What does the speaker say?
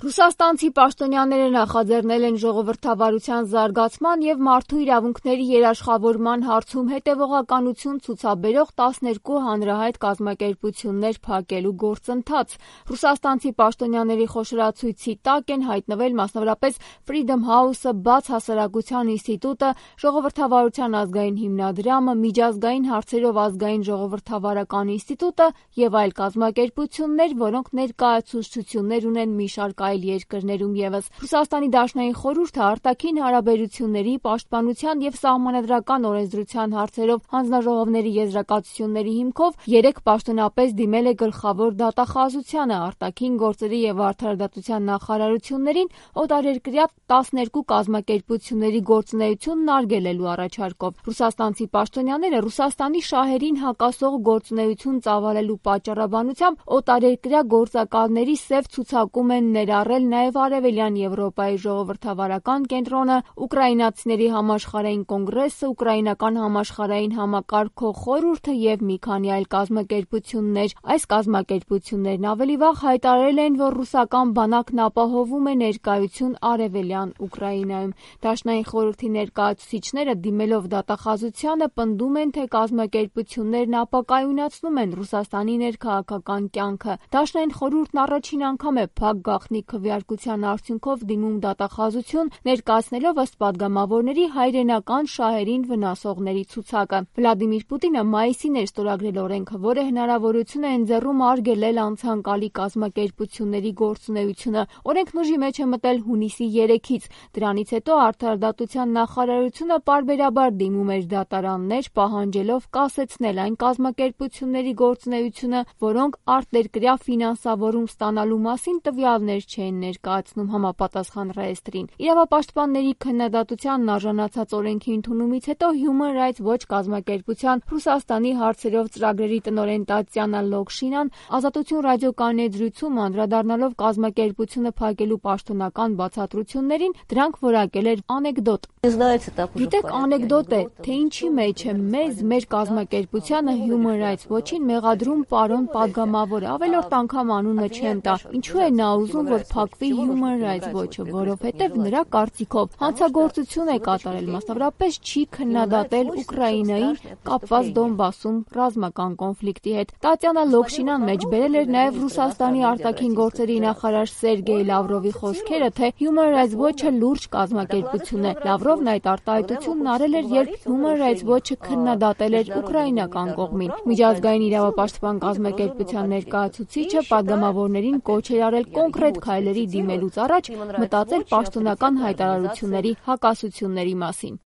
Ռուսաստանցի պաշտոնյաները նախաձեռնել են ժողովրդավարության զարգացման և մարդու իրավունքների երաշխավորման հարցում հետևողականություն ցուցաբերող 12 հանրահայտ կազմակերպություններ փակելու գործընթաց։ Ռուսաստանցի պաշտոնյաների խոշորացույցի տակ են հայտնվել մասնավորապես Freedom House-ը, Բաց հասարակության ինստիտուտը, Ժողովրդավարության ազգային հիմնադրամը, Միջազգային հարցերով ազգային ժողովրդավարական ինստիտուտը և այլ կազմակերպություններ, որոնք ներկայացուցչություններ ունեն մի շարք այլ երկրներում ևս։ Ռուսաստանի Դաշնային խորհուրդը արտաքին հարաբերությունների, պաշտպանության և սահմանադրական օրենսդրության հարցերով հանձնաժողովների եզրակացությունների հիմքով 3 պաշտոնապես դիմել է գլխավոր դատախազությանը, արտաքին գործերի և արդարադատության նախարարություններին օտարերկրյա 12 կազմակերպությունների գործունեությունն արգելելու առաջարկով։ Ռուսաստանցի պաշտոնյաները Ռուսաստանի շահերին հակասող գործունեություն ծավալելու պատճառաբանությամբ օտարերկրյա գործակալների սև ցուցակում են ներառել նաև Արևելյան Եվրոպայի ժողովրդավարական կենտրոնը, ուկրաինացիների համաշխարհային կոնգրեսը, ուկրաինական համաշխարհային համակարգող խորհուրդը և մի քանի այլ կազմակերպություններ։ Այս կազմակերպություններն ավելի վաղ հայտարարել էին, որ ռուսական բանակն ապահովում է ներկայություն Արևելյան Ուկրաինայում։ Դաշնային խորհրդի ներկայացուցիչները դիմելով դատախազությանը պնդում են, թե կազմակերպություններն ապակայունացնում են Ռուսաստանի ներքաղաքական կյանքը։ Դաշնային խորհուրդն առաջին անգամ է փակ գաղտնի քվեարկության արդյունքով դիմում դատախազություն, ներկայացնելով ըստ պատգամավորների հայրենական շահերին վնասողների ցուցակը։ Վլադիմիր Պուտինը մայիսին էր ստորագրել օրենքը, որը հնարավորություն է ընձեռում արգելել անցանկալի կազմակերպությունների գործունեությունը։ Օրենքն ուժի մեջ է մտել հունիսի 3-ից։ Դրանից հետո արդարադատության նախարարությունը պարբերաբար դիմում էր դատարաններ, պահանջելով կասեցնել այն կազմակերպությունների գործունեությունը, որոնք արտերկրյա ֆինանսավորում ստանալու մասին տվյալներ չէին ներկայացնում համապատասխան ռեեստրին։ Իրավապաշտպանների քննադատությանն արժանացած օրենքի ընդունումից հետո Human Rights Watch կազմակերպության Ռուսաստանի հարցերով ծրագրերի տնօրեն Տատյանա Լոկշինան «Ազատություն» ռադիոկայունեծրույցում անդրադառնալով կազմակերպությունը փակելու պաշտոնական բացատրություններին դրանք որակել էր անեկդոտ։ Գիտեք, անեկդոտ է, թե ինչի մեջ է մեր կազմակերպությանը Human Rights Watch-ին մեղադրում պարոն պատգամավորը, ավելորդ անգամ անունը չեմ տա։ Ինչու է նա ուզում, որ փակվի Human Rights Watch-ը, որովհետև նրա կարծիքով հանցագործություն է կատարել, մասնավորապես չի քննադատել Ուկրաինային կապված Դոնբասում ռազմական կոնֆլիկտի հետ։ Տատյանա Լոկշինան մեջբերել էր նաև Ռուսաստանի արտաքին գործերի նախարար Սերգեյ Լավրովի խոսքերը, թե Human Rights Watch-ը լուրջ կազմակերպություն է։ Լավրովն այդ արտահայտությունն արել էր, երբ Human Rights Watch-ը քննադատել էր ուկրաինական կողմին։ Միջազգային իրավապաշտպան կազմակերպության ներկայացուցիչը պատգամավորներին կոչ էր արել կոնկրետ քայլերի դիմելուց առաջ մտածել պաշտոնական հայտարարությունների հակասությունների մասին։